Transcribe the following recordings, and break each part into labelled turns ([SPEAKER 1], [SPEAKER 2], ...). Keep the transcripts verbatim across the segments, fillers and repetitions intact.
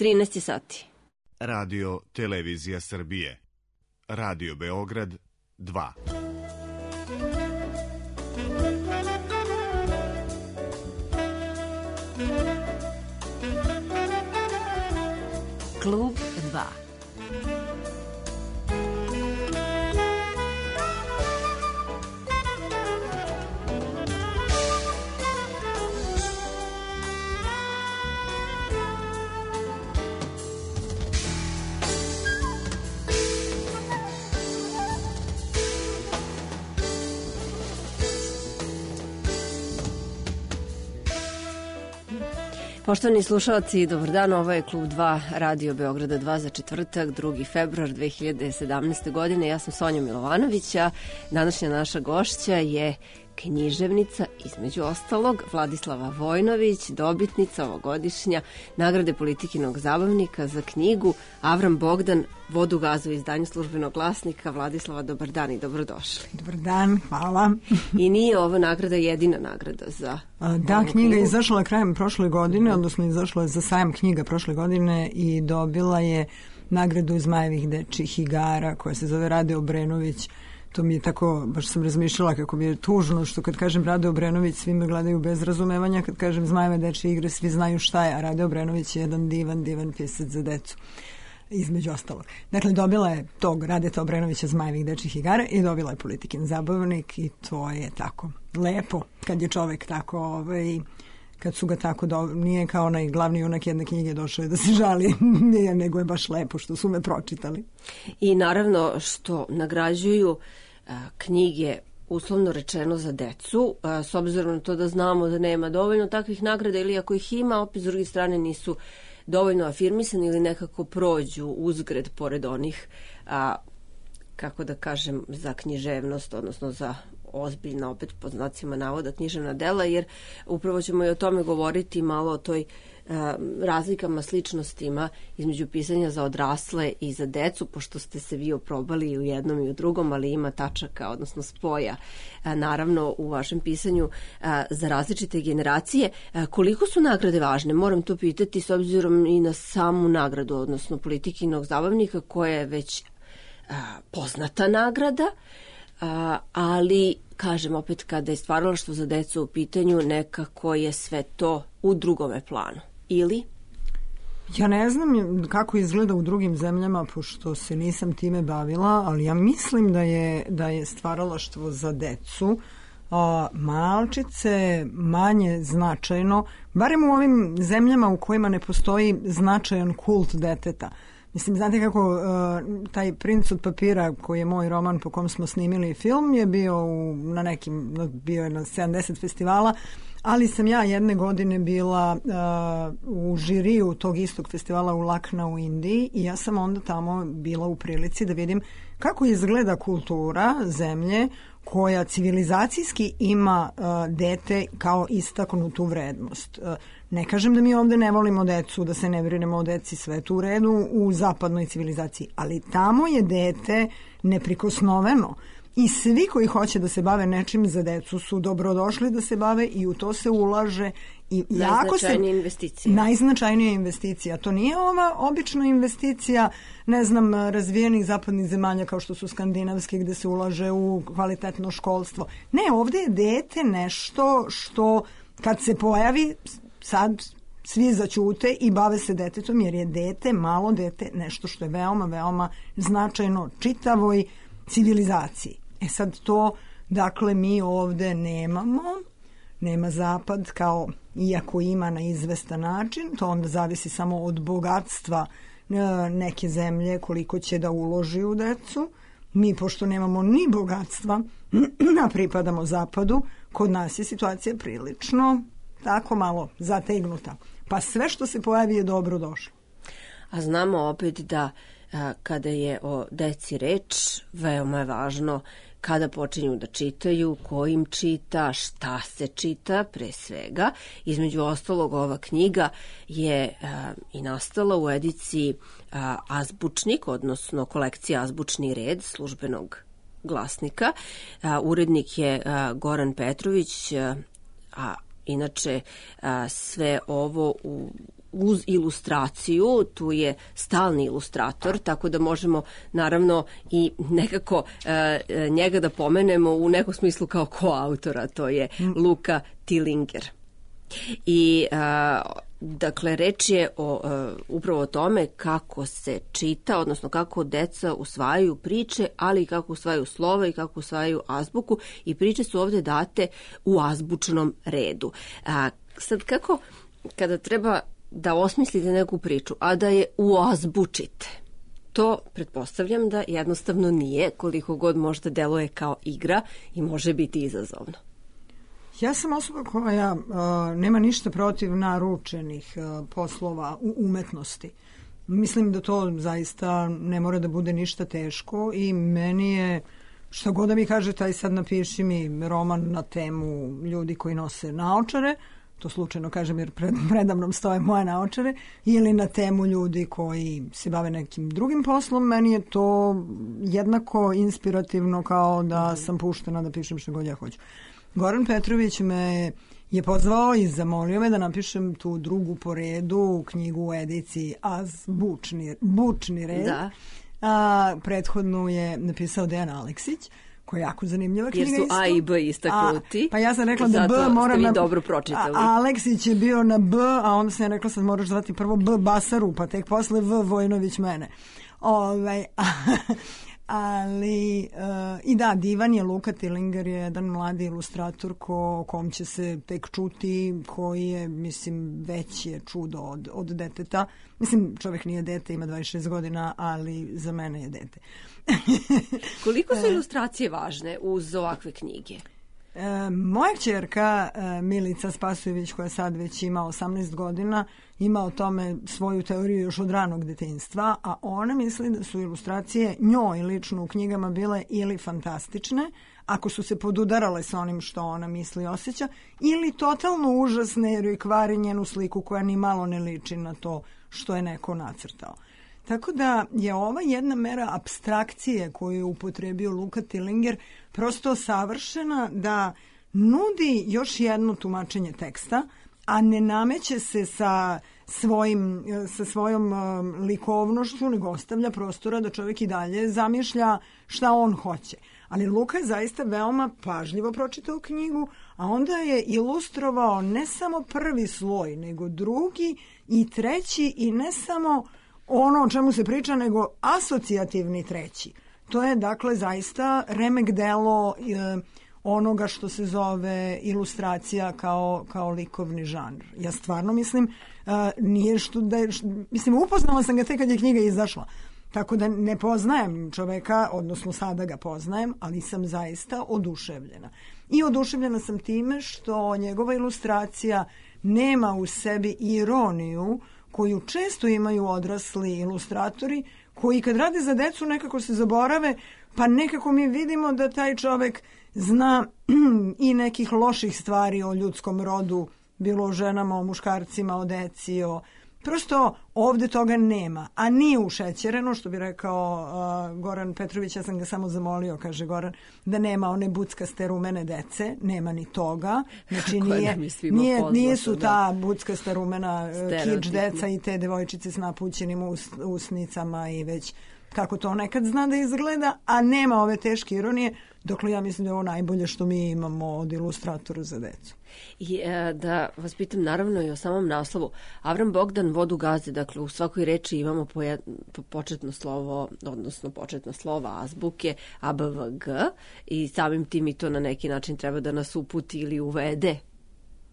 [SPEAKER 1] trinaest je sati.
[SPEAKER 2] Radio Televizija Srbije. Radio Beograd dva.
[SPEAKER 1] Klub dva. Poštovani slušalci, dobar dan, ovo je Klub dva Radio Beograda dva za četvrtak, drugi februar dve hiljade sedamnaeste. godine. Ja sam Sonja Milovanović, a današnja naša gošća je književnica, između ostalog, Vladislava Vojnović, dobitnica ovogodišnja nagrade Politikinog zabavnika za knjigu Avram Bogdan, Vodu gazu, izdanju Službenog glasnika. Vladislava, dobar dan i dobrodošli.
[SPEAKER 3] Dobar dan, hvala.
[SPEAKER 1] I nije ova nagrada jedina nagrada za...
[SPEAKER 3] A, da, knjiga je izašla krajem prošle godine, odnosno izašla je za sajam knjiga prošle godine i dobila je nagradu Zmajevih dečjih igara koja se zove Rade Obrenović. To mi je tako, baš sam razmišljala kako mi je tužno što kad kažem Rade Obrenović svi me gledaju bez razumevanja, kad kažem Zmajeve dečje igre svi znaju šta je, a Rade Obrenović je jedan divan, divan pisac za decu, između ostalog. Dakle, dobila je tog Radeta Obrenovića Zmajevih dečjih igara i dobila je Politikin zabavnik i to je tako lepo kad je čovek tako, ovaj, kad su ga tako, do... nije kao onaj glavni junak jedne knjige došao da se žali, nije, nego je baš lepo što su me pročitali.
[SPEAKER 1] I naravno što nagrađuju a, knjige uslovno rečeno za decu, a, s obzirom na to da znamo da nema dovoljno takvih nagrada ili ako ih ima, opet s druge strane nisu dovoljno afirmisani ili nekako prođu uzgred pored onih, a, kako da kažem, za književnost, odnosno za ozbiljna, opet pod znacima navoda, književna dela, jer upravo ćemo i o tome govoriti malo o toj uh, razlikama, sličnostima između pisanja za odrasle i za decu, pošto ste se vi oprobali i u jednom i u drugom, ali ima tačaka, odnosno spoja, uh, naravno u vašem pisanju uh, za različite generacije. Uh, koliko su nagrade važne? Moram to pitati s obzirom i na samu nagradu, odnosno Politikinog zabavnika, koja je već uh, poznata nagrada, Uh, ali, kažem opet, kada je stvaralaštvo za decu u pitanju, nekako je sve to u drugome planu. Ili?
[SPEAKER 3] Ja ne znam kako izgleda u drugim zemljama, pošto se nisam time bavila, ali ja mislim da je, da je stvaralaštvo za decu a, malčice manje značajno, barem u ovim zemljama u kojima ne postoji značajan kult deteta. Mislim, znate kako uh, taj Princ od papira, koji je moj roman po kom smo snimili film, je bio u, na nekim, bio je na sedamdeset festivala, ali sam ja jedne godine bila uh, u žiriju tog istog festivala u Lakna u Indiji i ja sam onda tamo bila u prilici da vidim kako izgleda kultura zemlje koja civilizacijski ima uh, dete kao istaknutu vrednost. Uh, ne kažem da mi ovde ne volimo decu, da se ne brinemo o deci, sve tu u redu u zapadnoj civilizaciji, ali tamo je dete neprikosnoveno i svi koji hoće da se bave nečim za decu su dobrodošli da se bave i u to se ulaže. I
[SPEAKER 1] najznačajnija investicija.
[SPEAKER 3] Najznačajnija investicija. To nije ova obična investicija, ne znam, razvijenih zapadnih zemalja kao što su skandinavske gde se ulaže u kvalitetno školstvo. Ne, ovde je dete nešto što kad se pojavi sad svi zaćute i bave se detetom jer je dete, malo dete, nešto što je veoma, veoma značajno čitavoj civilizaciji. E sad to, dakle, mi ovde nemamo, nema zapad kao, iako ima na izvestan način, to onda zavisi samo od bogatstva neke zemlje koliko će da uloži u decu. Mi, pošto nemamo ni bogatstva, a pripadamo zapadu, kod nas je situacija prilično tako malo zategnuta. Pa sve što se pojavi je dobro došlo.
[SPEAKER 1] A znamo opet da a, kada je o deci reč, veoma je važno kada počinju da čitaju, ko im čita, šta se čita pre svega. Između ostalog, ova knjiga je a, i nastala u ediciji a, Azbučnik, odnosno kolekcija Azbučni red Službenog glasnika. A, urednik je a, Goran Petrović, a, a inače a, sve ovo u uz ilustraciju, tu je stalni ilustrator, tako da možemo naravno i nekako e, njega da pomenemo u nekom smislu kao koautora, to je Luka Tillinger. I a, dakle, reč je o, a, upravo o tome kako se čita, odnosno kako deca usvajaju priče, ali i kako usvajaju slova i kako usvajaju azbuku, i priče su ovde date u azbučnom redu. A, sad kako, kada treba da osmislite neku priču, a da je uazbučite, to pretpostavljam da jednostavno nije, koliko god možda deluje kao igra i može biti izazovno.
[SPEAKER 3] Ja sam osoba koja uh, nema ništa protiv naručenih uh, poslova u umetnosti. Mislim da to zaista ne mora da bude ništa teško i meni je, što god da mi kaže, taj sad napiši mi roman na temu ljudi koji nose naočare, to slučajno kažem jer pred, predamnom stoje moje naočare, ili na temu ljudi koji se bave nekim drugim poslom, meni je to jednako inspirativno kao da sam puštena da pišem što god ja hoću. Goran Petrović me je pozvao i zamolio me da napišem tu drugu po redu knjigu u ediciji Azbučni bučni red. Da. A, prethodnu je napisao Dejan Aleksić, koja je jako zanimljiva knjiga.
[SPEAKER 1] Jer su
[SPEAKER 3] isto.
[SPEAKER 1] A i B istaknuti.
[SPEAKER 3] A, pa ja sam rekla da B mora na...
[SPEAKER 1] dobro pročitali.
[SPEAKER 3] A, Aleksić je bio na B, a onda sam ja rekla sad moraš zvati prvo B Basaru, pa tek posle V Vojnović mene. Ovaj... Ali, uh, i da, divan je Luka Tillinger, je jedan mladi ilustrator ko, kom će se tek čuti, koji je, mislim, već je čudo od, od deteta. Mislim, čovjek nije dete, ima dvadeset šest godina, ali za mene je dete.
[SPEAKER 1] Koliko su ilustracije važne uz ovakve knjige?
[SPEAKER 3] E, moja kćerka e, Milica Spasojević, koja sad već ima osamnaest godina, ima o tome svoju teoriju još od ranog detinjstva, a ona misli da su ilustracije njoj lično u knjigama bile ili fantastične, ako su se podudarale sa onim što ona misli i osjeća, ili totalno užasne jer joj kvari njenu sliku koja ni malo ne liči na to što je neko nacrtao. Tako da je ova jedna mera apstrakcije koju je upotrebio Luka Tillinger prosto savršena da nudi još jedno tumačenje teksta, a ne nameće se sa, svojim, sa svojom um, likovnošću, nego ostavlja prostora da čovjek i dalje zamišlja šta on hoće. Ali Luka je zaista veoma pažljivo pročitao knjigu, a onda je ilustrovao ne samo prvi sloj, nego drugi i treći, i ne samo ono o čemu se priča, nego asocijativni treći. To je dakle zaista remek delo e, onoga što se zove ilustracija kao, kao likovni žanr. Ja stvarno mislim, e, nije što da je, mislim, upoznala sam ga tek kad je knjiga izašla. Tako da ne poznajem čoveka, odnosno sada ga poznajem, ali sam zaista oduševljena. I oduševljena sam time što njegova ilustracija nema u sebi ironiju koju često imaju odrasli ilustratori, koji kad rade za decu nekako se zaborave, pa nekako mi vidimo da taj čovek zna i nekih loših stvari o ljudskom rodu, bilo o ženama, o muškarcima, o deci, o... Prosto ovde toga nema, a nije ušećereno, što bi rekao uh, Goran Petrović, ja sam ga samo zamolio, kaže Goran, da nema one buckaste rumene dece, nema ni toga, znači nije, nije, poznato, nije su ta da. buckasta rumena kič deca i te devojčice s napućenim us, usnicama i već kako to nekad zna da izgleda, a nema ove teške ironije, dokle ja mislim da je ovo najbolje što mi imamo od ilustratora za decu.
[SPEAKER 1] I e, da vas pitam naravno i o samom naslovu. Avram Bogdan Vodu gaze, dakle u svakoj reči imamo po, jed, po početno slovo, odnosno početno slova azbuke A, B, V, G, i samim tim i to na neki način treba da nas uputi ili uvede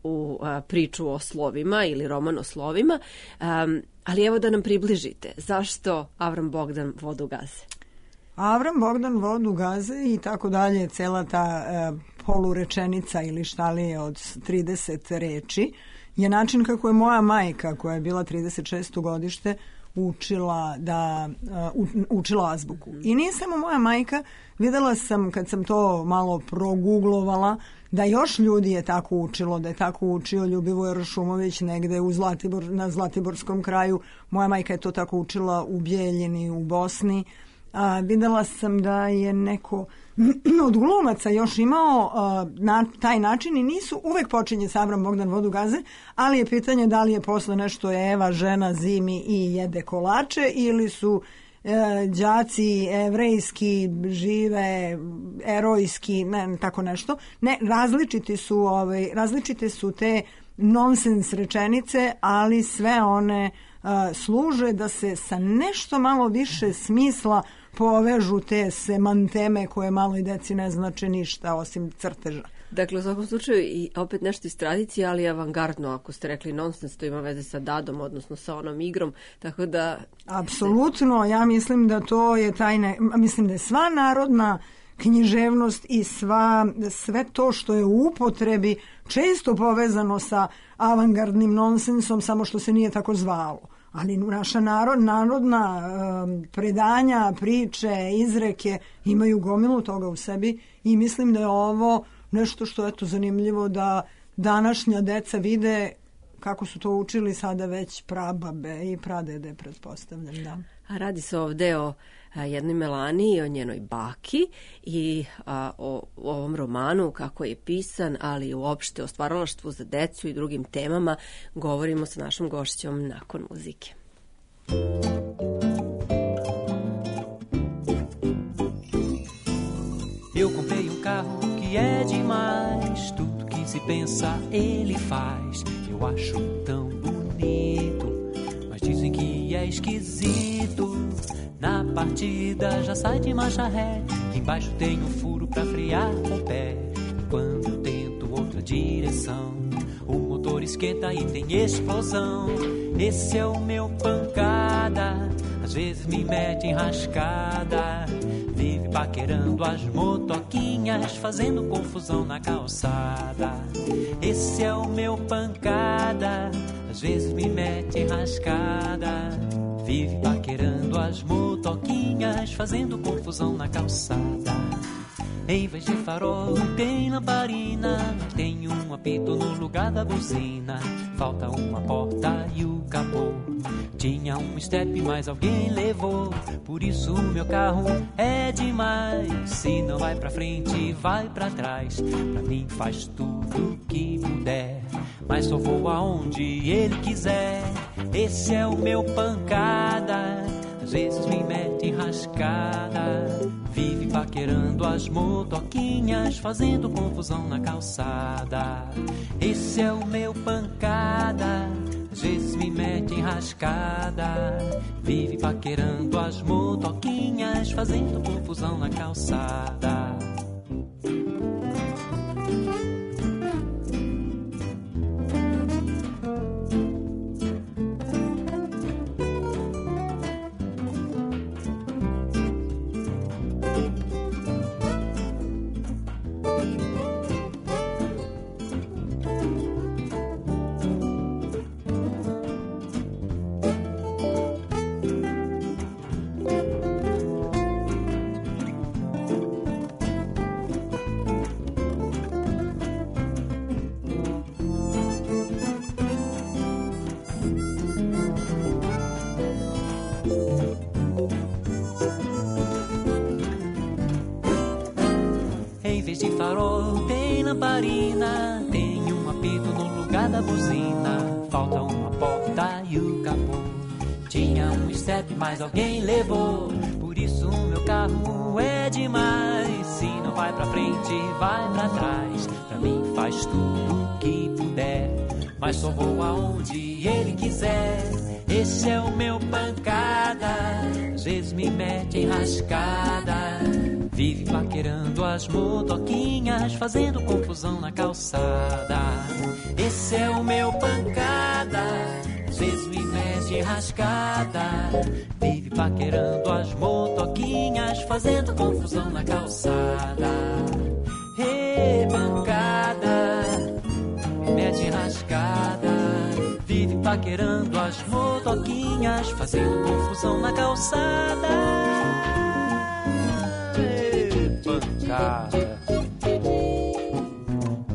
[SPEAKER 1] u a, priču o slovima ili roman o slovima. Um, ali evo da nam približite. Zašto Avram Bogdan Vodu gaze?
[SPEAKER 3] Avram Bogdan Vodu gaze i tako dalje, cela ta e, polurečenica ili šta li je od trideset reči, je način kako je moja majka, koja je bila trideset šesto godište, učila da uh, učila azbuku. I nije samo moja majka, videla sam kad sam to malo proguglovala, da još ljudi je tako učilo, da je tako učio Ljubivoj Šumović negde u Zlatibor, na Zlatiborskom kraju. Moja majka je to tako učila u Bijeljini, u Bosni. A, videla sam da je neko od glumaca još imao a, na taj način i nisu, uvek počinje sa Avram Bogdan Vodu gaze, ali je pitanje da li je posle nešto Eva, žena zimi i jede kolače ili su e, đaci evrejski, žive, erojski, ne, tako nešto. Ne, različiti su, ovaj, različite su te nonsens rečenice, ali sve one a, služe da se sa nešto malo više smisla povežu te semanteme koje maloj deci ne znače ništa osim crteža.
[SPEAKER 1] Dakle, u svakom slučaju i opet nešto iz tradicije, ali avangardno, ako ste rekli nonsens, to ima veze sa dadom, odnosno sa onom igrom, tako da...
[SPEAKER 3] Apsolutno, ja mislim da to je tajne, mislim da je sva narodna književnost i sva, sve to što je u upotrebi često povezano sa avangardnim nonsensom, samo što se nije tako zvalo. Ali naša narod, narodna um, predanja, priče, izreke imaju gomilu toga u sebi i mislim da je ovo nešto što je to zanimljivo da današnja deca vide kako su to učili sada već prababe i pradede, pretpostavljam. Da.
[SPEAKER 1] A radi se ovde o a, jednoj Melaniji, o njenoj baki i a, o, o ovom romanu, kako je pisan, ali uopšte o stvaralaštvu za decu i drugim temama govorimo sa našom gošćom nakon muzike.
[SPEAKER 4] Eu comprei um carro que é demais, tudo que se pensa ele faz. Eu acho tão bonito, mas dizem que é esquisito. Na partida já sai de marcha ré, embaixo tem um furo pra frear com o pé. E quando eu tento outra direção, o motor esquenta e tem explosão. Esse é o meu pancada, às vezes me mete enrascada. Vive paquerando as motoquinhas, fazendo confusão na calçada. Esse é o meu pancada, às vezes me mete enrascada. Vive paquerando as motoquinhas, fazendo confusão na calçada. Em vez de farol tem lamparina, tem um apito no lugar da buzina. Falta uma porta e o capô. Tinha um step, mas alguém levou. Por isso o meu carro é demais. Se não vai pra frente, vai pra trás. Pra mim faz tudo que puder, mas só vou aonde ele quiser. Esse é o meu pancada, às vezes me mete enrascada. Vive paquerando as motoquinhas, fazendo confusão na calçada. Esse é o meu pancada, às vezes me mete enrascada. Vive paquerando as motoquinhas, fazendo confusão na calçada. De farol tem lamparina, tem um apito no lugar da buzina. Falta uma porta e o capô. Tinha um step, mas alguém levou. Por isso o meu carro é demais. Se não vai pra frente, vai pra trás. Pra mim faz tudo que puder, mas só vou aonde ele quiser. Esse é o meu pancada, às vezes me mete enrascada. Vive paquerando as motoquinhas, fazendo confusão na calçada. Esse é o meu pancada, às vezes me mete enrascada. Vive paquerando as motoquinhas, fazendo confusão na calçada. Ei, pancada, me mete enrascada. Vive paquerando as motoquinhas, fazendo confusão na calçada. Pancada.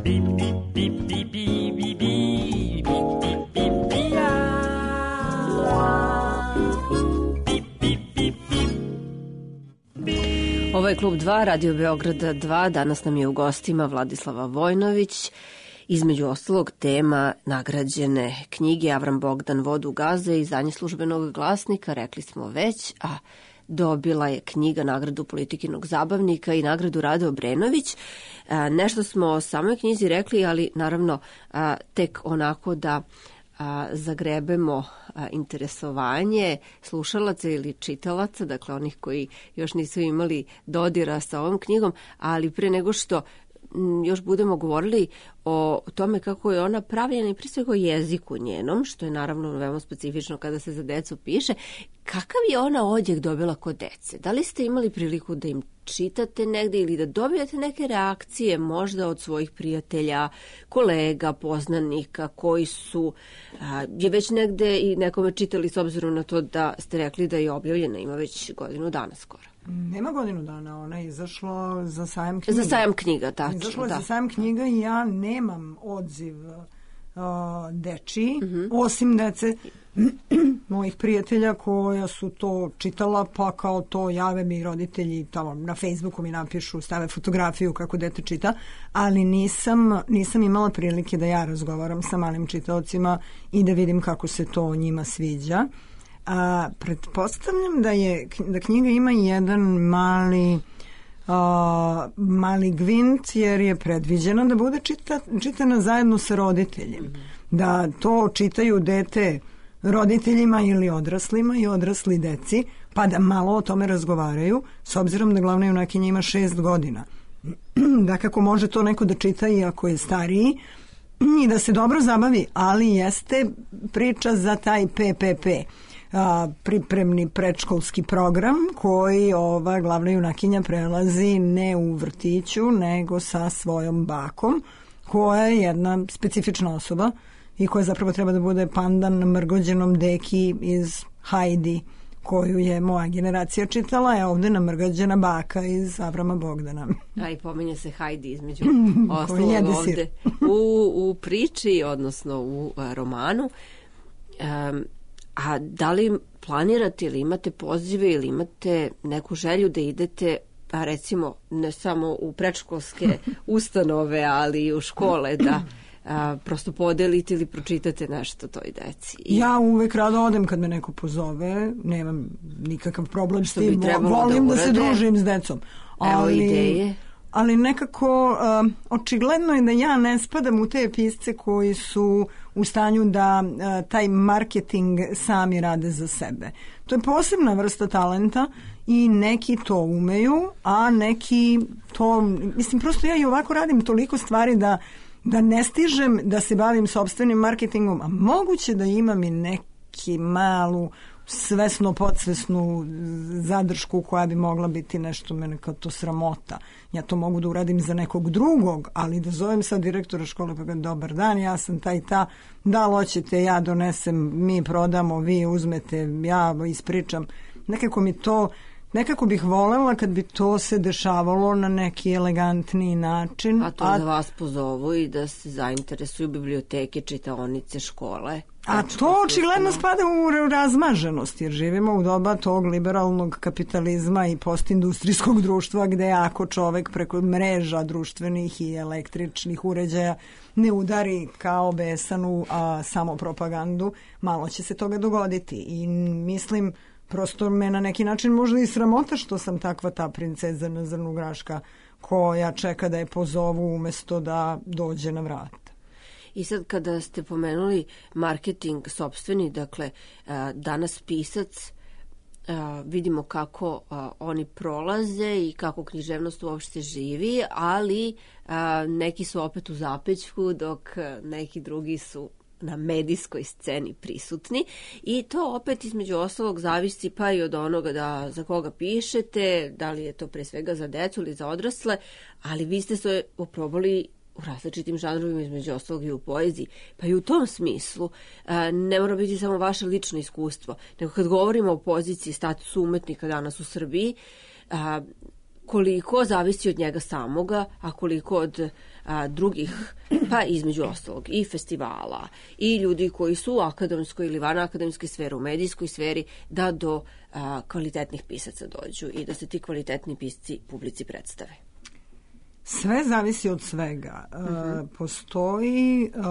[SPEAKER 4] Bip, bip, bip, bip, bip, bip, bip, bip, bip, bip, ah. Bip, bip, bip, bip.
[SPEAKER 1] Ovo je Klub dva, Radio Beograd dva. Danas nam je u gostima Vladislava Vojnović. Između ostalog tema nagrađene knjige Avram Bogdan Vodu gaze, izdanje Službenog glasnika, rekli smo već, a dobila je knjiga nagradu Politikinog zabavnika i nagradu Rade Obrenović. Nešto smo o samoj knjizi rekli, ali naravno tek onako da a, zagrebemo a, interesovanje slušalaca ili čitalaca, dakle onih koji još nisu imali dodira sa ovom knjigom, ali pre nego što m, još budemo govorili o tome kako je ona pravljena i prije svega o jeziku njenom, što je naravno veoma specifično kada se za decu piše, kakav je ona odjek dobila kod dece? Da li ste imali priliku da im čitate negde ili da dobijate neke reakcije možda od svojih prijatelja, kolega, poznanika koji su a, je već negde i nekome čitali s obzirom na to da ste rekli da je objavljena, ima već godinu dana skoro.
[SPEAKER 3] Nema godinu dana, ona je izašla za sajam knjiga.
[SPEAKER 1] Za sajam knjiga, tačno.
[SPEAKER 3] Izašla je
[SPEAKER 1] da.
[SPEAKER 3] za sajam knjiga i ja nemam odziv uh, dečiji, mm-hmm. osim dece mojih prijatelja koja su to čitala, pa kao to jave mi roditelji, tamo na Facebooku mi napišu, stave fotografiju kako dete čita, ali nisam, nisam imala prilike da ja razgovaram sa malim čitaocima i da vidim kako se to njima sviđa. A, pretpostavljam da je da knjiga ima jedan mali a, mali gvint, jer je predviđena da bude čita, čitana zajedno sa roditeljem. Mm-hmm. Da to čitaju dete roditeljima ili odraslima i odrasli deci, pa da malo o tome razgovaraju, s obzirom da glavna junakinja ima šest godina. Da kako može to neko da čita i ako je stariji i da se dobro zabavi, ali jeste priča za taj P P P, a, pripremni predškolski program koji ova glavna junakinja prelazi ne u vrtiću, nego sa svojom bakom, koja je jedna specifična osoba i koja zapravo treba da bude pandan namrgođenom deki iz Hajdi, koju je moja generacija čitala, je ovde namrgođena baka iz Avrama Bogdana.
[SPEAKER 1] A i pominje se Hajdi između ostalog ovde u, u priči, odnosno u a, romanu. Um, a da li planirate ili imate pozive ili imate neku želju da idete, pa recimo ne samo u predškolske ustanove, ali i u škole, da a, prosto podelite ili pročitate nešto toj deci? I... Ja
[SPEAKER 3] uvek rado odem kad me neko pozove, nemam nikakav problem s tim, volim da, da se družim s decom.
[SPEAKER 1] Ali, evo ideje.
[SPEAKER 3] Ali nekako uh, očigledno je da ja ne spadam u te pisce koji su u stanju da uh, taj marketing sami rade za sebe. To je posebna vrsta talenta i neki to umeju, a neki to, mislim, prosto ja i ovako radim toliko stvari da da ne stižem da se bavim sopstvenim marketingom, a moguće da imam i neki malu svesno, podsvesnu zadršku koja bi mogla biti nešto mene kao to sramota. Ja to mogu da uradim za nekog drugog, ali da zovem sad direktora škole pa kažem, dobar dan, ja sam taj ta, da li hoćete, ja donesem, mi prodamo, vi uzmete, ja ispričam. Nekako mi to, nekako bih volela kad bi to se dešavalo na neki elegantniji način.
[SPEAKER 1] A to a... da vas pozovu i da se zainteresuju biblioteke, čitaonice, škole.
[SPEAKER 3] A to očigledno spada u razmaženost, jer živimo u doba tog liberalnog kapitalizma i postindustrijskog društva gde ako čovek preko mreža društvenih i električnih uređaja ne udari kao besanu a samo propagandu, malo će se toga dogoditi. I mislim, prosto me na neki način možda i sramota što sam takva ta princeza na zrnu graška koja čeka da je pozovu umesto da dođe na vrat.
[SPEAKER 1] I sad kada ste pomenuli marketing sopstveni, dakle danas pisac, vidimo kako oni prolaze i kako književnost uopšte živi, ali neki su opet u zapećku dok neki drugi su na medijskoj sceni prisutni i to opet između ostalog zavisi pa i od onoga da za koga pišete, da li je to pre svega za decu ili za odrasle, ali vi ste se oprobali u različitim žanrovima, između ostalog i u poeziji. Pa i u tom smislu ne mora biti samo vaše lično iskustvo, nego kad govorimo o poziciji statusu umetnika danas u Srbiji, koliko zavisi od njega samoga, a koliko od a, drugih, pa između ostalog i festivala i ljudi koji su u akademskoj ili van akademske sfere, u medijskoj sferi, da do a, kvalitetnih pisaca dođu i da se ti kvalitetni pisci publici predstave.
[SPEAKER 3] Sve zavisi od svega. Uh-huh. E, postoji uh,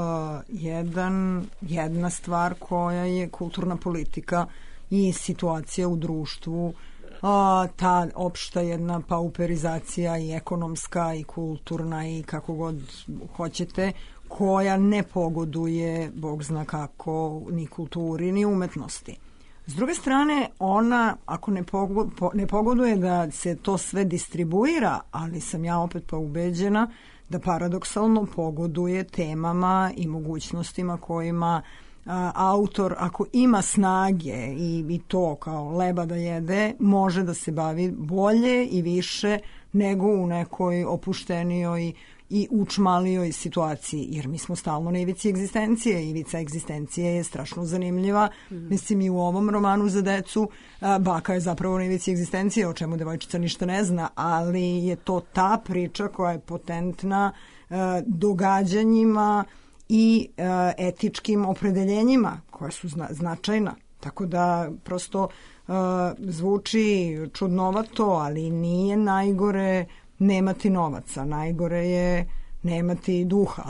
[SPEAKER 3] jedan, jedna stvar koja je kulturna politika i situacija u društvu, a, ta opšta jedna pauperizacija i ekonomska i kulturna i kako god hoćete, koja ne pogoduje, Bog zna kako, ni kulturi ni umetnosti. S druge strane, ona, ako ne, pogo, po, ne pogoduje da se to sve distribuira, ali sam ja opet pa ubeđena da paradoksalno pogoduje temama i mogućnostima kojima a, autor, ako ima snage i, i to kao leba da jede, može da se bavi bolje i više nego u nekoj opuštenijoj i učmalijoj situaciji, jer mi smo stalno na ivici egzistencije. Ivica egzistencije je strašno zanimljiva. Mm. Mislim, i u ovom romanu za decu a, baka je zapravo na ivici egzistencije, o čemu devojčica ništa ne zna, ali je to ta priča koja je potentna a, događanjima i a, etičkim opredeljenjima koja su zna, značajna. Tako da prosto a, zvuči čudnovato, ali nije najgore nemati novaca, najgore je nemati duha.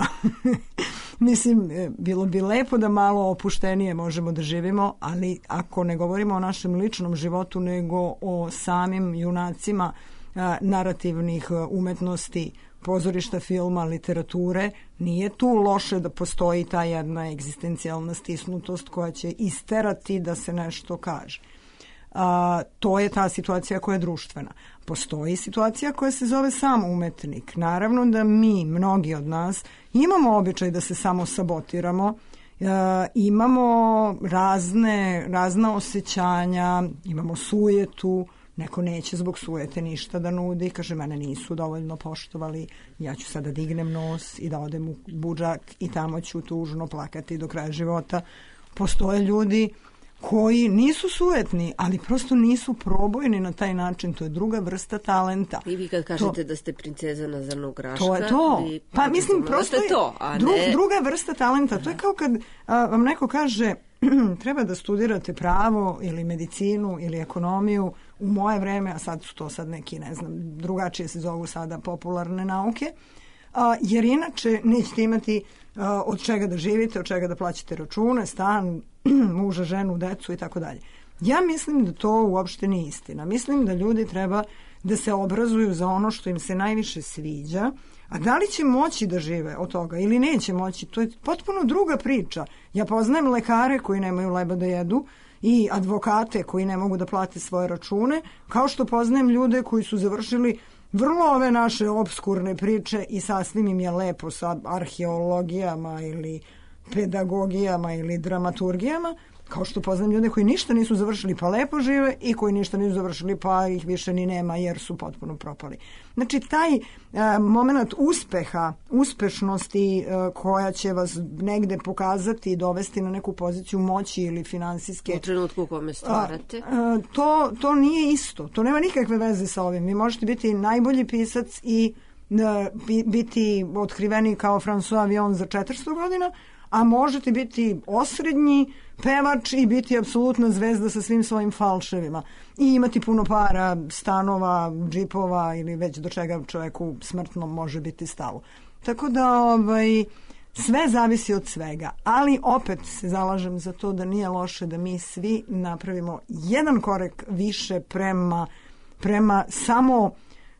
[SPEAKER 3] Mislim, bilo bi lepo da malo opuštenije možemo da živimo, ali ako ne govorimo o našem ličnom životu, nego o samim junacima a, narativnih umetnosti, pozorišta, filma, literature, nije tu loše da postoji ta jedna egzistencijalna stisnutost koja će isterati da se nešto kaže. A, to je ta situacija koja je društvena. Postoji situacija koja se zove sam umetnik. Naravno da mi, mnogi od nas, imamo običaj da se samo sabotiramo, e, imamo razne, razna osjećanja, imamo sujetu, neko neće zbog sujete ništa da nudi, kaže mene nisu dovoljno poštovali, ja ću sada dignem nos i da odem u budžak i tamo ću tužno plakati do kraja života. Postoje ljudi koji nisu sujetni, ali prosto nisu probojni na taj način. To je druga vrsta talenta.
[SPEAKER 1] I vi kad kažete to, da ste princeza na zrnu graška...
[SPEAKER 3] To je to. Pa mislim, prosto je
[SPEAKER 1] to, a
[SPEAKER 3] dru,
[SPEAKER 1] ne...
[SPEAKER 3] druga vrsta talenta. To je kao kad a, vam neko kaže treba da studirate pravo ili medicinu ili ekonomiju u moje vreme, a sad su to sad neki, ne znam, drugačije se zovu sada popularne nauke, a, jer inače nećete imati a, od čega da živite, od čega da plaćate račune, stan, muža, ženu, decu i tako dalje. Ja mislim da to uopšte nije istina. Mislim da ljudi treba da se obrazuju za ono što im se najviše sviđa, a da li će moći da žive od toga ili neće moći, to je potpuno druga priča. Ja poznajem lekare koji nemaju leba da jedu i advokate koji ne mogu da plate svoje račune, kao što poznajem ljude koji su završili vrlo ove naše obskurne priče i sasvim im je lepo sa arheologijama ili pedagogijama ili dramaturgijama, kao što poznam ljude koji ništa nisu završili pa lepo žive i koji ništa nisu završili pa ih više ni nema jer su potpuno propali. Znači taj e, moment uspeha, uspešnosti e, koja će vas negde pokazati i dovesti na neku poziciju moći ili finansijske...
[SPEAKER 1] U trenutku u kome stvarate.
[SPEAKER 3] A, a, to, to nije isto. To nema nikakve veze sa ovim. Vi možete biti najbolji pisac i e, biti otkriveni kao François Villon za četiristo godina, a možete biti osrednji pevač i biti apsolutna zvezda sa svim svojim falševima i imati puno para, stanova, džipova ili već do čega čovjeku smrtno može biti stalo. Tako da ovaj, sve zavisi od svega, ali opet se zalažem za to da nije loše da mi svi napravimo jedan korak više prema, prema samo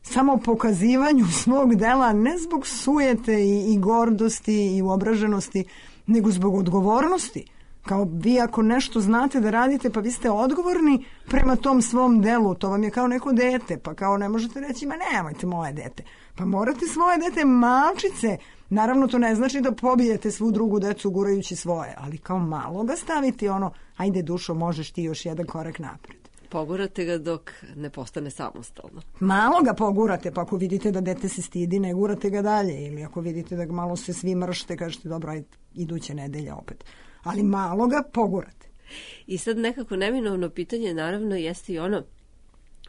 [SPEAKER 3] samo pokazivanju svog dela, ne zbog sujete i, i gordosti i uobraženosti, nego zbog odgovornosti. Kao vi ako nešto znate da radite, pa vi ste odgovorni prema tom svom delu, to vam je kao neko dete, pa kao ne možete reći, ma nemojte moje dete. Pa morate svoje dete malčice, naravno to ne znači da pobijete svu drugu decu gurajući svoje, ali kao malo ga staviti ono, ajde dušo, možeš ti još jedan korak napred.
[SPEAKER 1] Pogurate ga dok ne postane samostalno.
[SPEAKER 3] Malo ga pogurate, pa ako vidite da dete se stidi, ne gurate ga dalje. Ili ako vidite da malo se svi mršte, kažete dobro, ajde, iduće nedelje opet. Ali malo ga pogurate.
[SPEAKER 1] I sad nekako neminovno pitanje naravno jeste i ono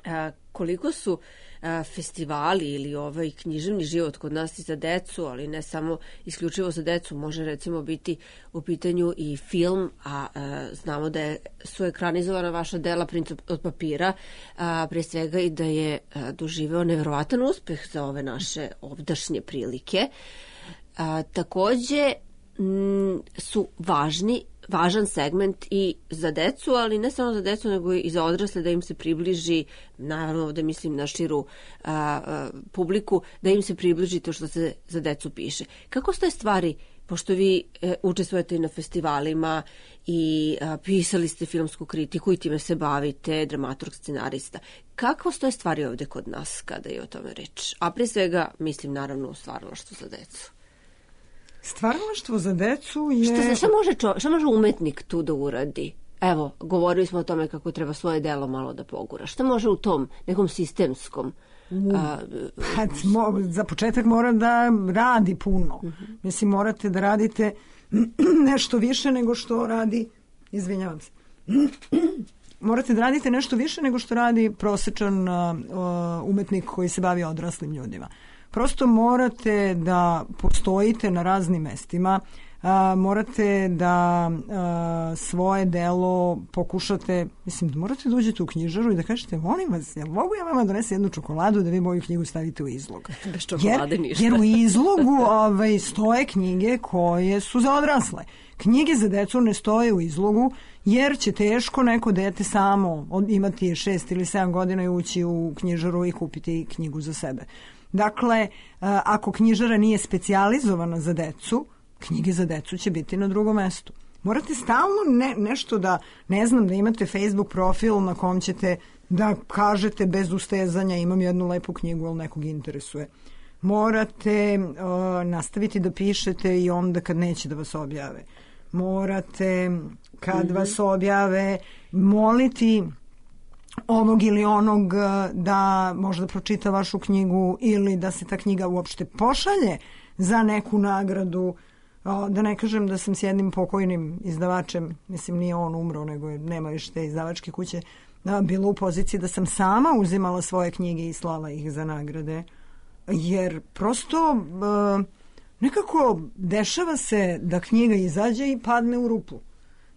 [SPEAKER 1] a, koliko su a, festivali ili ovaj književni život kod nas i za decu, ali ne samo isključivo za decu, može recimo biti u pitanju i film, a, a znamo da je, su ekranizovana vaša dela Princ od papira, a, pre svega i da je a, doživeo neverovatan uspeh za ove naše ovdašnje prilike. A, takođe m, su važni važan segment i za decu, ali ne samo za decu, nego i za odrasle, da im se približi, naravno da mislim na širu a, a, publiku, da im se približi to što se za decu piše. Kako stoje stvari, pošto vi e, učestvujete i na festivalima i a, pisali ste filmsku kritiku i time se bavite, dramaturg, scenarista. Kako stoje stvari ovde kod nas kada je o tome reč? A prije svega mislim naravno u stvaralaštvu za decu.
[SPEAKER 3] Stvaralaštvo za decu je...
[SPEAKER 1] Šta, se, šta, može čo, šta može umetnik tu da uradi? Evo, govorili smo o tome kako treba svoje delo malo da pogura. Šta može u tom nekom sistemskom... A,
[SPEAKER 3] a, za početak mora da radi puno. Uh-huh. Mislim, morate da radite nešto više nego što radi... Izvinjavam se. Morate da radite nešto više nego što radi prosečan uh, umetnik koji se bavi odraslim ljudima. Prosto morate da postojite na raznim mestima, a, morate da a, svoje delo pokušate, mislim, da morate da uđete u knjižaru i da kažete, molim vas, jel mogu ja vama donesi jednu čokoladu da vi moju knjigu stavite u izlog?
[SPEAKER 1] Bez čokolade
[SPEAKER 3] jer,
[SPEAKER 1] ništa.
[SPEAKER 3] Jer u izlogu ovaj, stoje knjige koje su za odrasle. Knjige za decu ne stoje u izlogu, jer će teško neko dete samo imati šest ili sedam godina i ući u knjižaru i kupiti knjigu za sebe. Dakle, ako knjižara nije specijalizovana za decu, knjige za decu će biti na drugom mestu. Morate stalno ne, nešto da, ne znam, da imate Facebook profil na kom ćete da kažete bez ustezanja imam jednu lepu knjigu, ali nekog interesuje. Morate uh, nastaviti da pišete i onda kad neće da vas objave. Morate, kad mm-hmm. vas objave, moliti ovog ili onog da možda pročita vašu knjigu ili da se ta knjiga uopšte pošalje za neku nagradu. Da ne kažem da sam s jednim pokojnim izdavačem, mislim nije on umro, nego je, nema više te izdavačke kuće, bila u poziciji da sam sama uzimala svoje knjige i slala ih za nagrade. Jer prosto nekako dešava se da knjiga izađe i padne u rupu.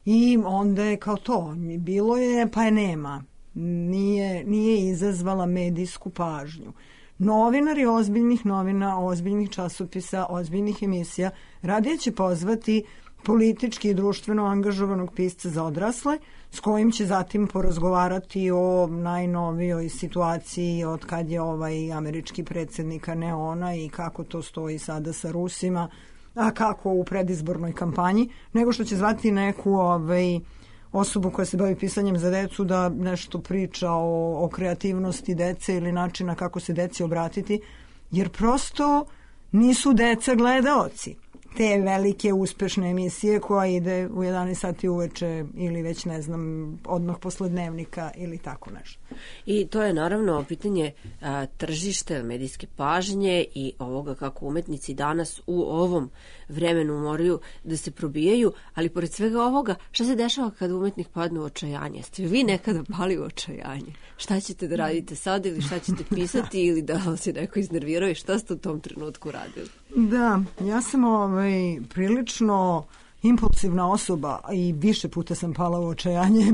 [SPEAKER 3] I onda je kao to, bilo je pa je nema. Nije, nije izazvala medijsku pažnju. Novinari ozbiljnih novina, ozbiljnih časopisa, ozbiljnih emisija radije će pozvati politički i društveno angažovanog pisca za odrasle, s kojim će zatim porazgovarati o najnovijoj situaciji od kad je ovaj američki predsjednik, a ne ona, i kako to stoji sada sa Rusima, a kako u predizbornoj kampanji, nego što će zvati neku ovaj, osobu koja se bavi pisanjem za decu da nešto priča o, o kreativnosti dece ili načina kako se deci obratiti, jer prosto nisu deca gledaoci te velike uspešne emisije koja ide u jedanaest sati uveče ili već ne znam odmah posle dnevnika ili tako nešto.
[SPEAKER 1] I to je naravno pitanje a, tržište, medijske pažnje i ovoga kako umetnici danas u ovom vremenu moraju da se probijaju, ali pored svega ovoga, šta se dešava kada umetnik padne u očajanje? Ste vi nekada pali u očajanje? Šta ćete da radite sad ili šta ćete pisati ili da vas se neko iznervirao i šta ste u tom trenutku radili?
[SPEAKER 3] Da, ja sam ovaj, prilično impulsivna osoba i više puta sam pala u očajanje,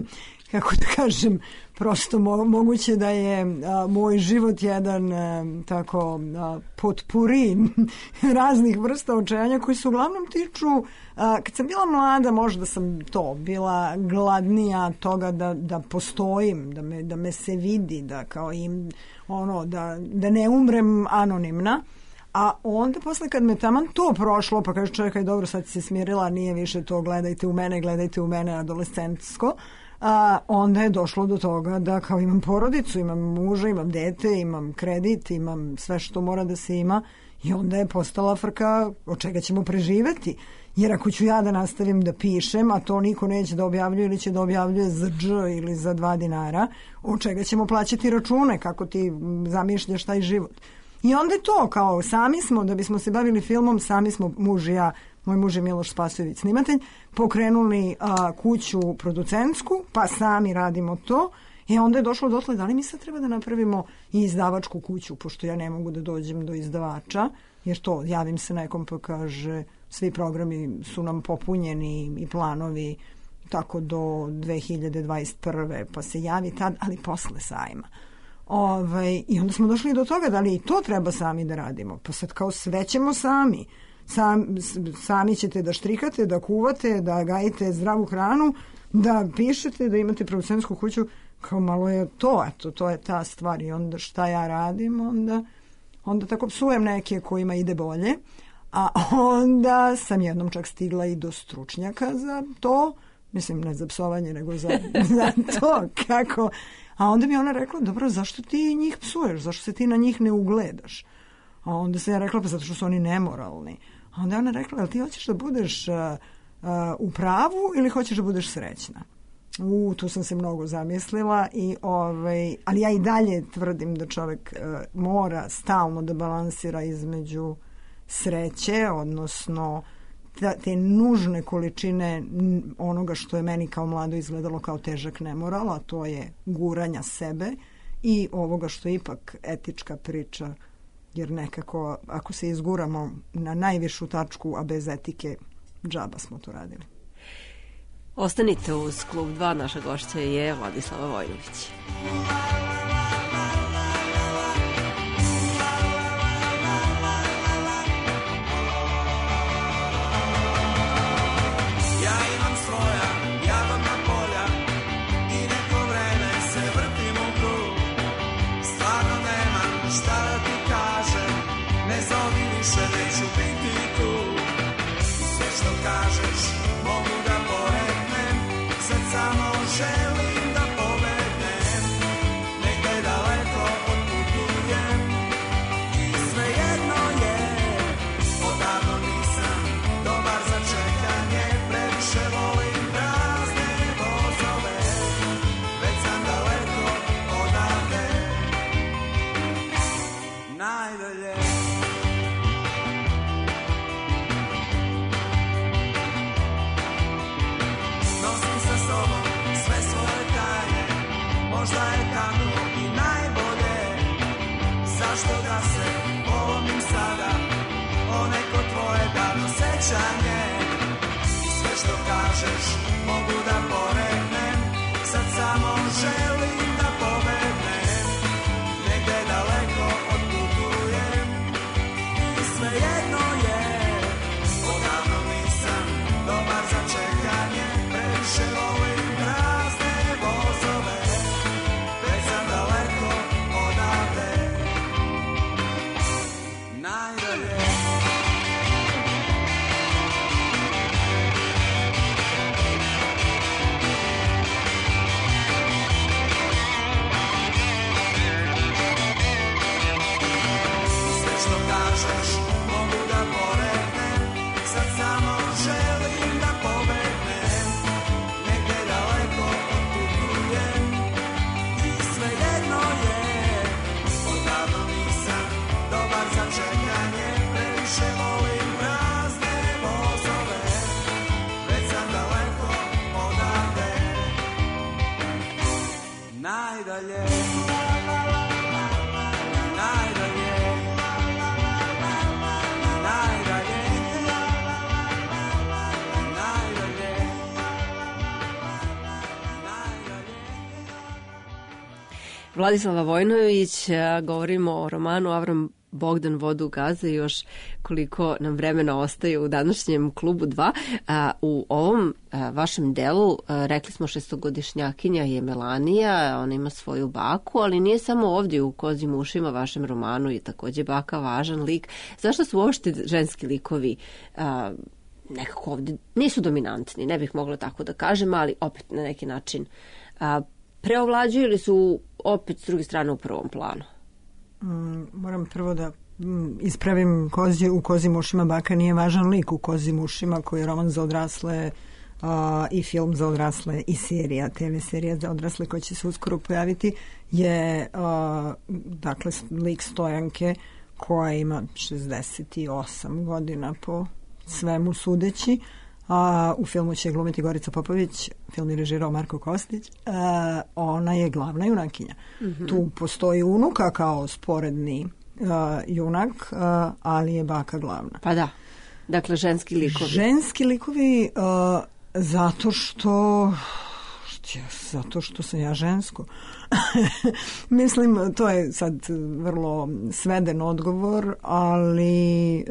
[SPEAKER 3] kako da kažem, prosto mo- moguće da je a, moj život jedan a, tako a, potpuri raznih vrsta očajanja koji se uglavnom tiču, a, kad sam bila mlada možda sam to, bila gladnija toga da, da postojim, da me, da me se vidi, da kao im, ono, da, da ne umrem anonimna. A onda posle kad me taman to prošlo, pa kaže čekaj dobro sad si se smirila, nije više to gledajte u mene, gledajte u mene adolescentsko, a, onda je došlo do toga da kao imam porodicu, imam muža, imam dete, imam kredit, imam sve što mora da se ima i onda je postala frka od čega ćemo preživeti. Jer ako ću ja da nastavim da pišem, a to niko neće da objavljuje ili će da objavljuje za dž ili za dva dinara, od čega ćemo plaćati račune, kako ti zamišljaš taj život. I onda je to, kao sami smo, da bismo se bavili filmom, sami smo, muž i ja, moj muž je Miloš Spasojević snimatelj, pokrenuli a, kuću producentsku, pa sami radimo to. I onda je došlo dotle, da li mi sad treba da napravimo i izdavačku kuću, pošto ja ne mogu da dođem do izdavača, jer to, javim se nekom pa kaže, svi programi su nam popunjeni i planovi tako do dve hiljade dvadeset prve pa se javi tad, ali posle sajma. Ovaj, I onda smo došli do toga da li i to treba sami da radimo. Pa sad kao sve ćemo sami. Sam, sami ćete da štrikate, da kuvate, da gajite zdravu hranu, da pišete, da imate producentsku kuću. Kao malo je to, eto, to je ta stvar. I onda šta ja radim, onda, onda tako psujem neke kojima ide bolje. A onda sam jednom čak stigla i do stručnjaka za to. Mislim, ne za psovanje, nego za, za to kako. A onda mi ona rekla, dobro, zašto ti njih psuješ? Zašto se ti na njih ne ugledaš? A onda sam ja rekla, pa zato što su oni nemoralni. A onda ona rekla, jel ti hoćeš da budeš uh, uh, u pravu ili hoćeš da budeš srećna? U, tu sam se mnogo zamislila, i, ovaj, ali ja i dalje tvrdim da čovjek uh, mora stalno da balansira između sreće, odnosno te nužne količine onoga što je meni kao mlado izgledalo kao težak nemoral, a to je guranja sebe, i ovoga što je ipak etička priča, jer nekako ako se izguramo na najvišu tačku, a bez etike, džaba smo to radili.
[SPEAKER 1] Ostanite uz Klub dva, naša gošća je Vladislava Vojnović. Vladislava Vojnović, govorimo o romanu Avram Bogdan Vodu gaza i još koliko nam vremena ostaje u današnjem Klubu dva. U ovom vašem delu rekli smo šestogodišnjakinja je Melanija, ona ima svoju baku, ali nije samo ovdje u Kozim ušima, vašem romanu je također baka važan lik. Zašto su uopšte ženski likovi nekako ovdje nisu dominantni, ne bih mogla tako da kažem, ali opet na neki način preovlađuju ili su opet s druge strane u prvom planu?
[SPEAKER 3] Mm, moram prvo da mm, ispravim, kozi, u Kozim ušima baka nije važan lik. U Kozim ušima, koji je roman za odrasle uh, i film za odrasle i serija, te ve serija za odrasle koja će se uskoro pojaviti, je uh, dakle lik Stojanke koja ima šezdeset osam godina po svemu sudeći. Uh, a u filmu će glumiti Gorica Popović, film je režirao Marko Kostić, a, ona je glavna junakinja. Mm-hmm. Tu postoji unuka kao sporedni a, junak, a, ali je baka glavna.
[SPEAKER 1] Pa da, dakle ženski likovi. Ženski
[SPEAKER 3] likovi a, zato što zato što sam ja žensko. Mislim, to je sad vrlo sveden odgovor, ali e,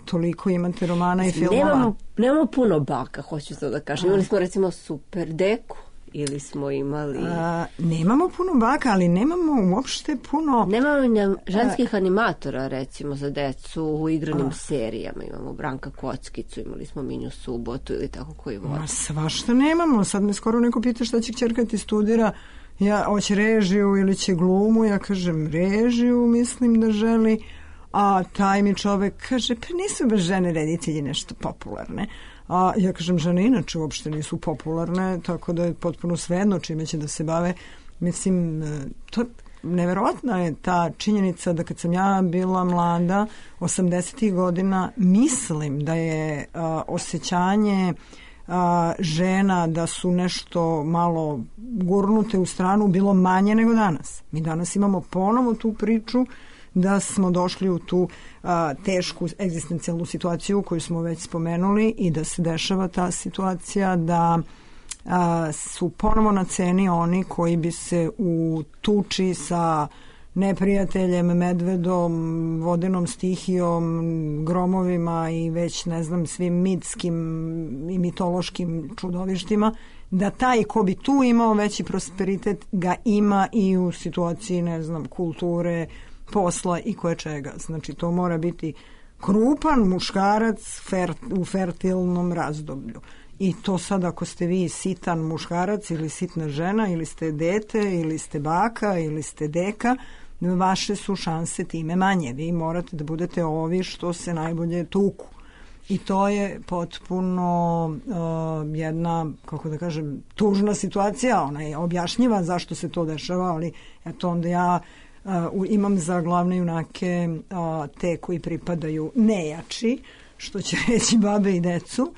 [SPEAKER 3] toliko imate romana i filmova.
[SPEAKER 1] Nemamo, nemamo puno baka, hoću to da kažem. Imali smo recimo Super Deku ili smo imali...
[SPEAKER 3] A, nemamo puno baka, ali nemamo uopšte puno...
[SPEAKER 1] Nemamo ženskih a, animatora, recimo, za decu u igranim a, serijama. Imamo Branka Kockicu, imali smo Minju Subotu ili tako koji vodi.
[SPEAKER 3] Ma svašta nemamo. Sad me skoro neko pita šta će kćerka ti studira. Ja, hoće režiju ili će glumu. Ja kažem režiju, mislim da želi. A taj mi čovek kaže, pa nisu baš žene reditelji nešto popularne. A ja kažem, žene inače uopšte nisu popularne, tako da je potpuno svejedno čime će da se bave. Mislim, to neverovatna je ta činjenica da kad sam ja bila mlada, osamdesetih godina, mislim da je a, osjećanje a, žena da su nešto malo gurnute u stranu bilo manje nego danas. Mi danas imamo ponovo tu priču da smo došli u tu a, tešku egzistencijalnu situaciju koju smo već spomenuli i da se dešava ta situacija da a, su ponovo na ceni oni koji bi se u tuči sa neprijateljem, medvedom, vodenom stihijom, gromovima i već ne znam svim mitskim i mitološkim čudovištima, da taj ko bi tu imao veći prosperitet ga ima i u situaciji ne znam kulture, posla i koje čega. Znači, to mora biti krupan muškarac fer, u fertilnom razdoblju. I to sad ako ste vi sitan muškarac ili sitna žena ili ste dete ili ste baka ili ste deka, vaše su šanse time manje. Vi morate da budete ovi što se najbolje tuku. I to je potpuno uh, jedna, kako da kažem, tužna situacija. Ona je objašnjiva zašto se to dešava, ali eto onda ja Uh, imam za glavne junake uh, te koji pripadaju nejači, što će reći babe i decu, uh,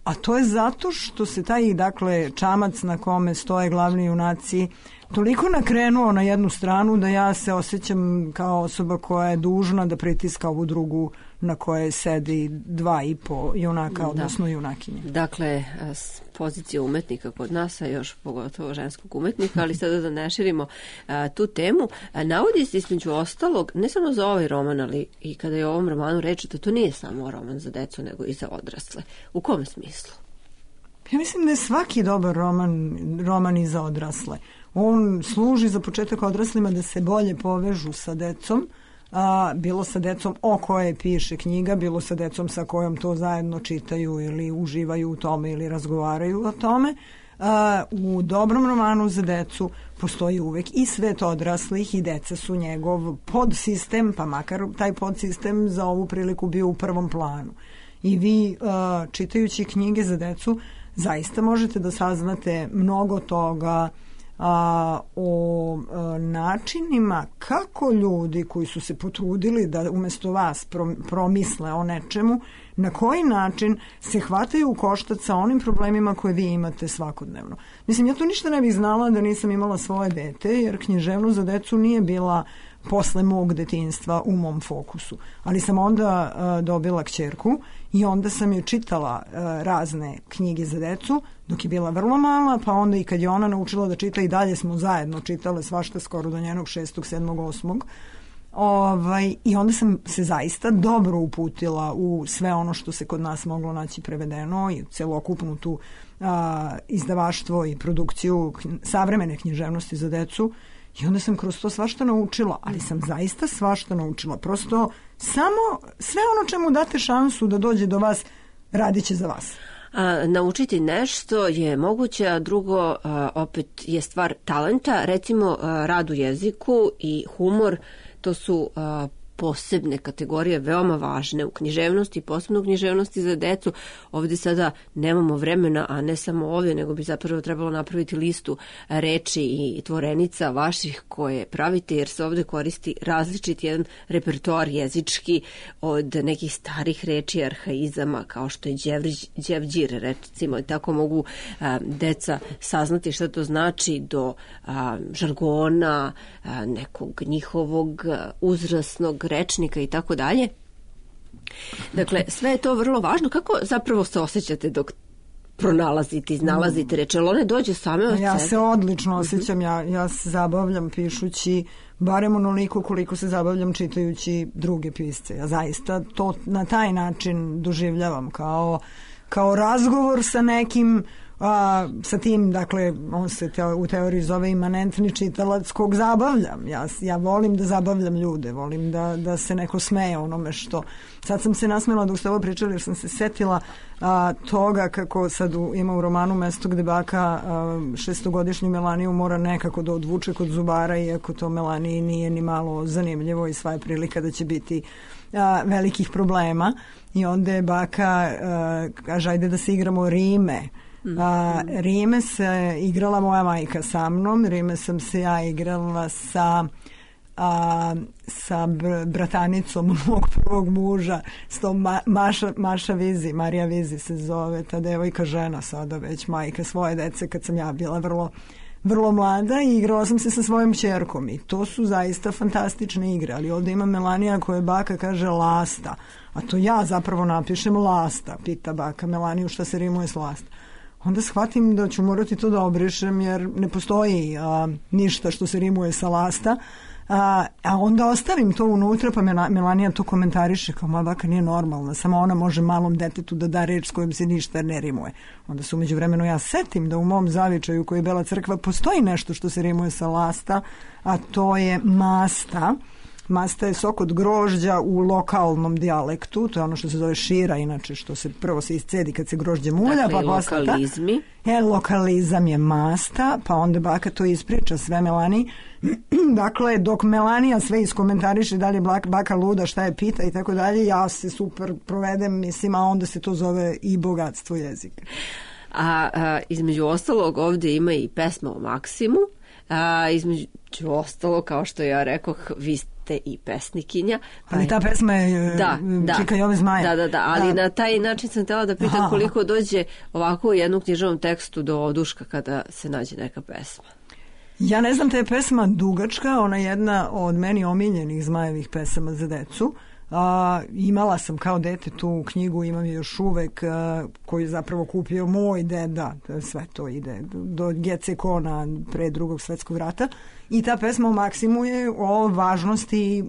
[SPEAKER 3] a to je zato što se taj, dakle, čamac na kome stoje glavni junaci toliko nakrenuo na jednu stranu da ja se osjećam kao osoba koja je dužna da pritiska ovu drugu na koje sedi dva i po junaka, odnosno da. Junakinje.
[SPEAKER 1] Dakle, s pozicije umetnika kod nas, a još pogotovo ženskog umetnika, ali sada da ne širimo a, tu temu, a, navodi se između ostalog, ne samo za ovaj roman, ali i kada je o ovom romanu reči, da to nije samo roman za decu, nego i za odrasle. U kom smislu?
[SPEAKER 3] Ja mislim da je svaki dobar roman, roman i za odrasle. On služi za početak odraslima da se bolje povežu sa decom, a, bilo sa decom o kojoj piše knjiga, bilo sa decom sa kojom to zajedno čitaju ili uživaju u tome ili razgovaraju o tome. A, u dobrom romanu za decu postoji uvek i svet odraslih i deca su njegov podsistem, pa makar taj podsistem za ovu priliku bio u prvom planu. I vi a, čitajući knjige za decu zaista možete da saznate mnogo toga a, o a, načinima kako ljudi koji su se potrudili da umesto vas pro, promisle o nečemu, na koji način se hvataju u koštac sa onim problemima koje vi imate svakodnevno. Mislim, ja to ništa ne bih znala da nisam imala svoje dete, jer književnost za decu nije bila posle mog detinjstva u mom fokusu. Ali sam onda uh, dobila kćerku i onda sam joj čitala uh, razne knjige za decu dok je bila vrlo mala, pa onda i kad je ona naučila da čita i dalje smo zajedno čitale svašta skoro do njenog šestog, sedmog, osmog. Ovaj, i onda sam se zaista dobro uputila u sve ono što se kod nas moglo naći prevedeno i celokupnu tu a, izdavaštvo i produkciju savremene književnosti za decu. I onda sam kroz to svašta naučila, ali sam zaista svašta naučila. Prosto samo sve ono čemu date šansu da dođe do vas, radit će za vas.
[SPEAKER 1] A, naučiti nešto je moguće, a drugo a, opet je stvar talenta. Recimo a, rad u jeziku i humor, to su a, posebne kategorije, veoma važne u književnosti, posebno u književnosti za decu. Ovdje sada nemamo vremena, a ne samo ovdje, nego bi zapravo trebalo napraviti listu reči i tvorenica vaših koje pravite, jer se ovdje koristi različit jedan repertoar jezički od nekih starih reči, arhaizama, kao što je đevđir, recimo, i tako mogu a, deca saznati šta to znači, do a, žargona, a, nekog njihovog uzrasnog rečnika i tako dalje. Dakle, sve je to vrlo važno. Kako zapravo se osjećate dok pronalazite, iznalazite reči, ali one dođe same od sebe?
[SPEAKER 3] Ja se odlično osjećam, ja, ja se zabavljam pišući, barem onoliko koliko se zabavljam čitajući druge pisce. Ja zaista to na taj način doživljavam kao, kao razgovor sa nekim, a, sa tim, dakle, on se te, u teoriji zove imanentni čitalac kog zabavljam. Ja, ja volim da zabavljam ljude, volim da, da se neko smeje onome što... Sad sam se nasmela dok ste ovo pričali, jer sam se setila a, toga kako sad u, ima u romanu mesto gde baka a, šestogodišnju Melaniju mora nekako da odvuče kod zubara, iako to Melaniji nije ni malo zanimljivo i sva je prilika da će biti a, velikih problema. I onda je baka a, kaže, ajde da se igramo rime. A, rime se igrala moja majka sa mnom, rime sam se ja igrala sa a, sa br- bratanicom mog prvog muža, s tom Ma- Maša, Maša Vizi, Marija Vizi se zove, ta devojka, žena sada već, majka svoje dece, kad sam ja bila vrlo vrlo mlada, i igrala sam se sa svojom ćerkom i to su zaista fantastične igre. Ali ovdje ima Melanija koja baka kaže lasta, a to ja zapravo napišem lasta, pita baka Melaniju šta se rimuje s lasta. Onda shvatim da ću morati to da obrišem, jer ne postoji a, ništa što se rimuje sa lasta, a, a onda ostavim to unutra, pa Melanija to komentariše kao moja baka nije normalna, samo ona može malom detetu da da reč s kojom se ništa ne rimuje. Onda se umeđu vremenu ja setim da u mom zavičaju koji je Bela crkva postoji nešto što se rimuje sa lasta, a to je masta. Masta je sok od grožđa u lokalnom dijalektu, to je ono što se zove šira, inače što se prvo se iscedi kad se grožđe mulja,
[SPEAKER 1] dakle,
[SPEAKER 3] pa posle
[SPEAKER 1] lokalizmi.
[SPEAKER 3] E, lokalizam je masta, pa onda baka to ispriča sve Melani. Dakle, dok Melanija sve iskomentariše da li je baka luda, šta je pita i tako dalje, ja se super provedem, mislim, a onda se to zove i bogatstvo jezika.
[SPEAKER 1] A, a između ostalog ovdje ima i pesma o Maksimu, a između ostalo, kao što ja rekoh, vi ste i pesnikinja. Pa
[SPEAKER 3] ali ta pesma je
[SPEAKER 1] da, da,
[SPEAKER 3] Čika Jove Zmaja.
[SPEAKER 1] Da, da, da, ali da. Na taj način sam htjela da pitam Aha. koliko dođe ovako u jednom književnom tekstu do oduška kada se nađe neka pesma.
[SPEAKER 3] Ja ne znam, ta je pesma dugačka, ona je jedna od meni omiljenih Zmajevih pesama za decu. A, imala sam kao dete tu knjigu, imam je još uvek, a, koju je zapravo kupio moj deda, sve to ide do Gecekona pre drugog svetskog rata, i ta pesma o Maksimu je o važnosti e,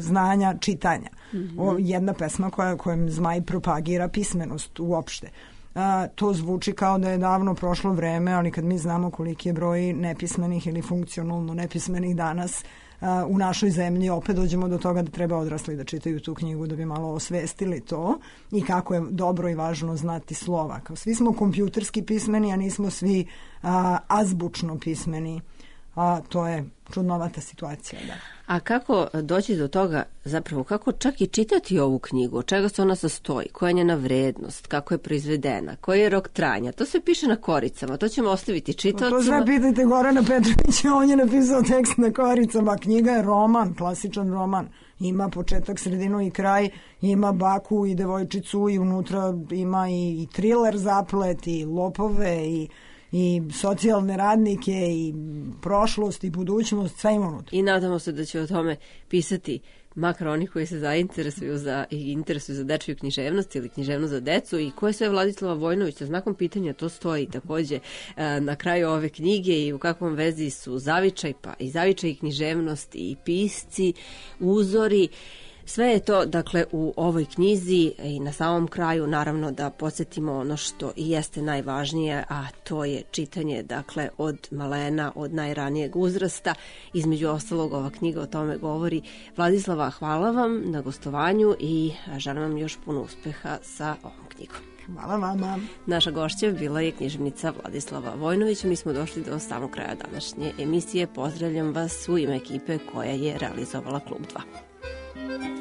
[SPEAKER 3] znanja čitanja. Mm-hmm. O, jedna pesma koja, kojom Zmaj propagira pismenost uopšte. A, to zvuči kao da je davno prošlo vreme, ali kad mi znamo koliki je broj nepismenih ili funkcionalno nepismenih danas u našoj zemlji, opet dođemo do toga da treba odrasli da čitaju tu knjigu da bi malo osvestili to i kako je dobro i važno znati slova. Kao svi smo kompjuterski pismeni, a nismo svi a, azbučno pismeni. A to je čudnovata situacija, da.
[SPEAKER 1] A kako doći do toga, zapravo, kako čak i čitati ovu knjigu, od čega se ona sastoji, koja je njena vrednost, kako je proizvedena, koji je rok trajanja, to se piše na koricama, to ćemo ostaviti čitaocima.
[SPEAKER 3] To sve pitajte Gorana Petrovića, on je napisao tekst na koricama, knjiga je roman, klasičan roman, ima početak, sredinu i kraj, ima baku i devojčicu i unutra ima i, i thriller zaplet i lopove i i socijalne radnike i prošlost i budućnost, sve ima unutra.
[SPEAKER 1] I nadamo se da će o tome pisati makar oni koji se zainteresuju za, i interesuju za dečiju književnost ili književnost za decu, i ko je sve Vladislava Vojnović, sa znakom pitanja to stoji takođe na kraju ove knjige, i u kakvom vezi su zavičaj, pa i zavičaj i književnost i pisci, uzori. Sve je to, dakle, u ovoj knjizi, i na samom kraju naravno da podsjetimo ono što i jeste najvažnije, a to je čitanje, dakle, od malena, od najranijeg uzrasta. Između ostalog, ova knjiga o tome govori. Vladislava, hvala vam na gostovanju i želim vam još puno uspeha sa ovom knjigom.
[SPEAKER 3] Hvala vama.
[SPEAKER 1] Naša gošća bila je književnica Vladislava Vojnović. Mi smo došli do samog kraja današnje emisije. Pozdravljam vas u ime ekipe koja je realizovala Klub dva.
[SPEAKER 4] Thank you.